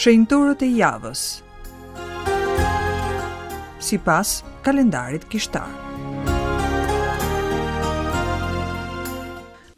Shenjtorët e javës. Sipas kalendarit kishtar.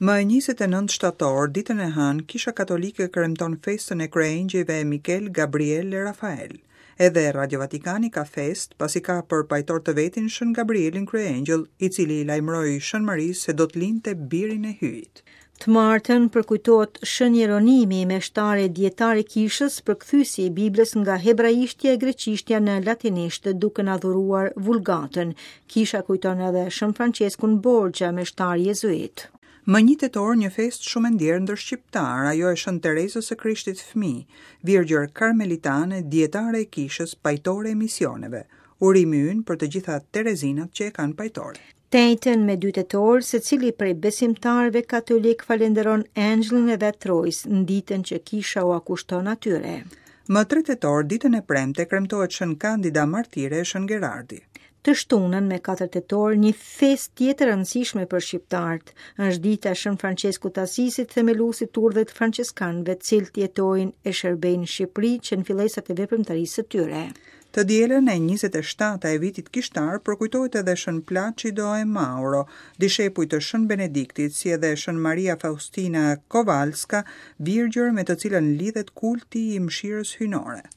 Më 29 shtator, ditën e hënë, Kisha Katolike kremton festën e kryeëngjëjve Mikel, Gabriel e Rafael. Edhe Radio Vatikani ka festë, pasi ka për pajtor të vetin Shën Gabrielin Kryeëngjëll, i cili i lajmëroi Shën Marisë se do të lindte birin e Hyjit. Të martën përkujtohet Shën Jeronimi, meshtar e dijetar i kishës, përkthyesi i Biblës nga hebraishtja e greqishtja në latinisht, duke na dhuruar Vulgatën. Kisha kujton edhe Shën Françeskun Borgia, meshtar jezuit. Më një tetor një festë shumë e ndjerë ndër shqiptarë, ajo e Shën Terezës së Krishtit Fëmijë, virgjër karmelitane, dijetare e kishës, pajtore e misioneve. Urimi ynë për të gjitha Terezinat që e kanë pajtore. Të enjten me 2 tetor, secili prej besimtarëve katolikë falënderon engjëllin e vet të rojës në ditën që kisha ua kushton atyre. Më 3 tetor, ditën e premte, kremtohet Shën Kandida Martire e Shën Gerardi. Të shtunën me 4 tetor, një festë tjetër e rëndësishme për shqiptarët, është dita e Shën Françeskut të Asisit, themeluesit të urdhrit të françeskanëve, të cilët jetojnë e shërbejnë në Shqipëri që në fillesat e veprimtarisë së tyre. Të dielën e 27 e vitit kishtar përkujtohet edhe Shën Placido e Mauro, dishepuj të Shën Benediktit, si edhe Shën Maria Faustina Kowalska, virgjër me të cilën lidhet kulti i mëshirës hyjnore.